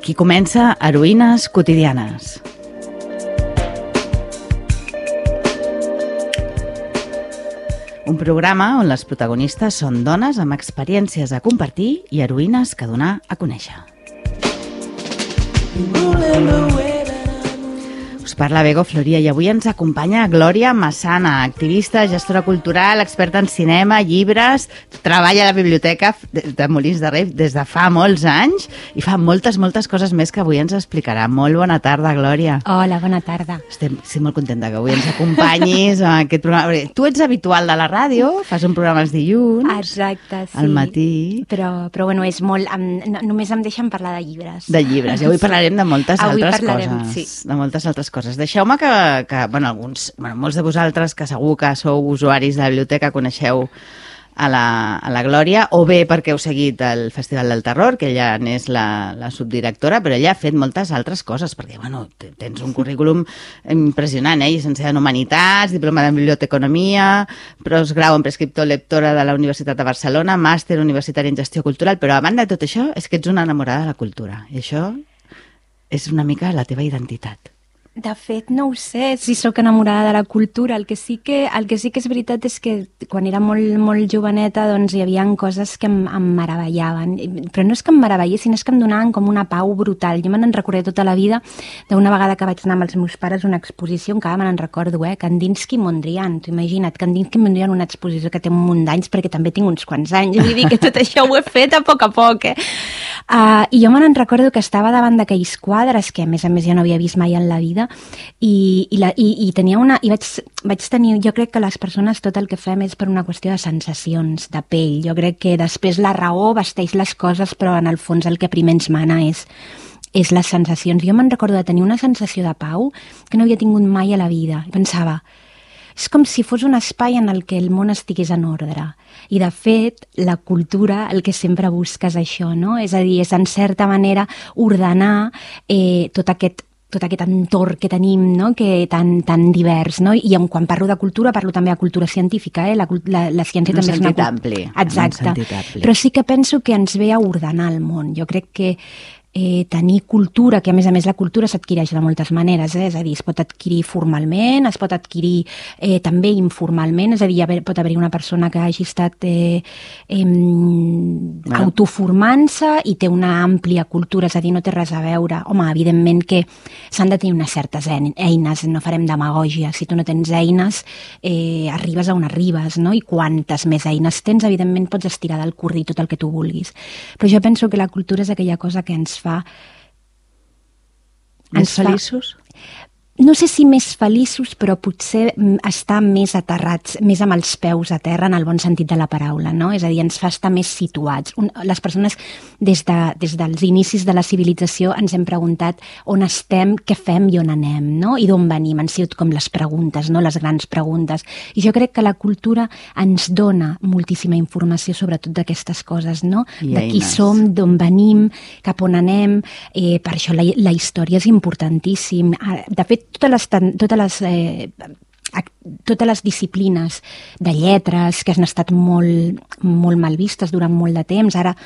Aquí comença Heroïnes quotidianes. Un programa on les protagonistes són dones amb experiències a compartir i heroïnes que donar a conèixer. Us parla Bego Floria i avui ens acompanya Glòria Massana, activista, gestora cultural, experta en cinema, llibres, treballa a la biblioteca de Molins de Rei des de fa molts anys i fa moltes coses més que avui ens explicarà. Molt bona tarda, Glòria. Hola, bona tarda. Estic molt contenta que avui ens acompanyis a aquest programa. Tu ets habitual de la ràdio, fas un programa els dilluns. Exacte, sí. Al matí. Però bueno, és molt... només em deixen parlar de llibres. De llibres. I avui parlarem de moltes altres parlarem, coses. Sí. De moltes altres coses. Deixeu-me que molts de vosaltres que segur que sou usuaris de la biblioteca coneixeu a la Glòria, o bé perquè heu seguit el Festival del Terror, que ella n'és la subdirectora, però ella ha fet moltes altres coses, perquè tens un currículum impressionant, llicenciada en Humanitats, diplomada en Biblioteconomia, postgrau en prescriptor lectora de la Universitat de Barcelona, màster universitari en Gestió Cultural, però a banda de tot això és que ets una enamorada de la cultura, i això és una mica la teva identitat. De fet, no ho sé si sóc enamorada de la cultura. El que sí que és veritat és que quan era molt joveneta doncs hi havia coses que em meravellaven. Però no és que em meravellessin, és que em donaven com una pau brutal. Jo me n'en recordaré tota la vida d'una vegada que vaig anar amb els meus pares a una exposició, encara me n'en recordo, Kandinsky i Mondrian. T'ho imagina't, Kandinsky i Mondrian, una exposició que té un munt d'anys, perquè també tinc uns quants anys. Vull dir que tot això ho he fet a poc, I jo me n'en recordo que estava davant d'aquells quadres, que a més jo no havia vist mai en la vida, i vaig tenir, jo crec que les persones tot el que fem és per una qüestió de sensacions, de pell. Jo crec que després la raó vesteix les coses, però en el fons el que primer ens mana és les sensacions. Jo me'n recordo de tenir una sensació de pau que no havia tingut mai a la vida. Pensava, és com si fos un espai en el que el món estigués en ordre. I, de fet, la cultura el que sempre busca és això, no? És a dir, és en certa manera ordenar tot aquest entorn que tenim, no? Que tan divers, no? I quan parlo de cultura, parlo també de cultura científica, La ciència també és una... ampli. Exacte. Però sí que penso que ens ve a ordenar el món. Jo crec que tenir cultura, que a més la cultura s'adquireix de moltes maneres, és a dir, es pot adquirir formalment, es pot adquirir també informalment, és a dir, pot haver-hi una persona que hagi estat autoformant-se i té una àmplia cultura, és a dir, no té res a veure. Home, evidentment que s'han de tenir unes certes eines, no farem demagògia, si tu no tens eines arribes a on arribes, no? I quantes més eines tens, evidentment pots estirar del curri tot el que tu vulguis. Però jo penso que la cultura és aquella cosa que ens fa... Més feliços? No sé si més feliços, però potser estar més aterrats, més amb els peus a terra en el bon sentit de la paraula, no? És a dir, ens fa estar més situats. Les persones, des dels inicis de la civilització, ens hem preguntat on estem, què fem i on anem, no? I d'on venim. Han sigut com les preguntes, no? Les grans preguntes. I jo crec que la cultura ens dona moltíssima informació sobre tot d'aquestes coses, no? De qui som, d'on venim, cap on anem. Per això la història és importantíssim. De fet, totes les disciplines de lletres que han estat molt mal vistes durant molt de temps, ara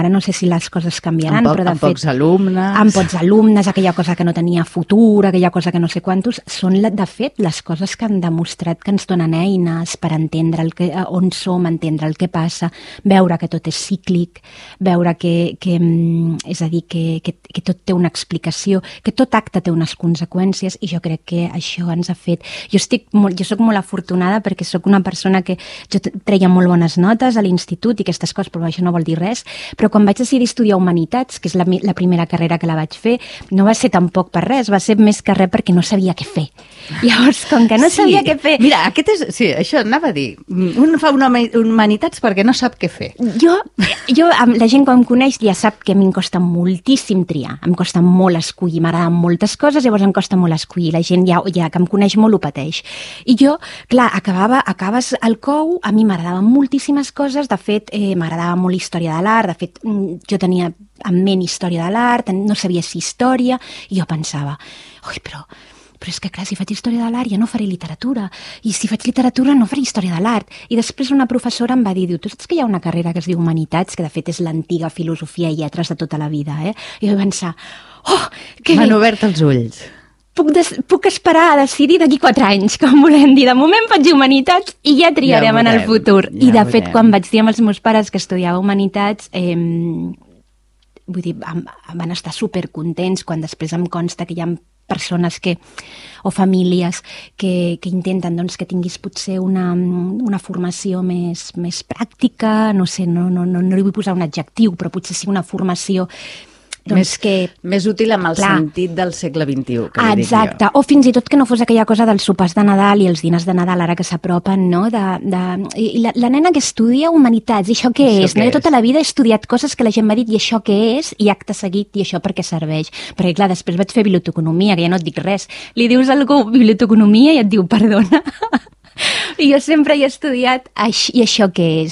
no sé si les coses canviaran, però de fet... Amb pocs alumnes, aquella cosa que no tenia futur, aquella cosa que no sé quantos, són de fet les coses que han demostrat que ens donen eines per entendre on som, entendre el que passa, veure que tot és cíclic, veure que és a dir, que tot té una explicació, que tot acte té unes conseqüències, i jo crec que això ens ha fet... Jo soc molt afortunada perquè soc una persona que jo treia molt bones notes a l'institut i aquestes coses, però això no vol dir res. Però quan vaig decidir estudiar Humanitats, que és la primera carrera que la vaig fer, no va ser tampoc per res, va ser més que res perquè no sabia què fer. Llavors, com que no sabia què fer... Mira, sí, això anava a dir. Un fa Humanitats perquè no sap què fer. Jo, la gent que em coneix ja sap que a mi em costa moltíssim triar, em costa molt escollir, m'agraden moltes coses, llavors em costa molt escollir. La gent ja que em coneix molt ho pateix. I jo, clar, acabes al COU, a mi m'agradaven moltíssimes coses, de fet, m'agradava molt la història de l'art, de fet, jo tenia en ment història de l'art, no sabia si història, i jo pensava, oi, però però és que clar, si faig història de l'art ja no faré literatura, i si faig literatura no faré història de l'art. I després una professora em va dir, tu saps que hi ha una carrera que es diu Humanitats, que de fet és l'antiga filosofia i lletres de tota la vida, I vaig pensar, que m'han obert els ulls. Puc esperar a decidir d'aquí 4 anys, com volem dir. De moment faig Humanitats i ja triarem en el futur. I de fet, quan vaig dir amb els meus pares que estudiava Humanitats, vull dir, van estar supercontents quan després em consta que hi ha persones o famílies que intenten doncs, que tinguis potser una formació més pràctica, no sé, no li vull posar un adjectiu, però potser sí una formació més útil amb el sentit del segle XXI, que li dic jo. Exacte, o fins i tot que no fos aquella cosa dels sopars de Nadal i els dinars de Nadal ara que s'apropen, no? I la nena que estudia Humanitats, i això què és? Jo tota la vida he estudiat coses que la gent m'ha dit i això què és? I acte seguit, i això per què serveix? Perquè clar, després vaig fer biblioteconomia, que ja no et dic res. Li dius a algú biblioteconomia i et diu perdona. I jo sempre he estudiat i això què és?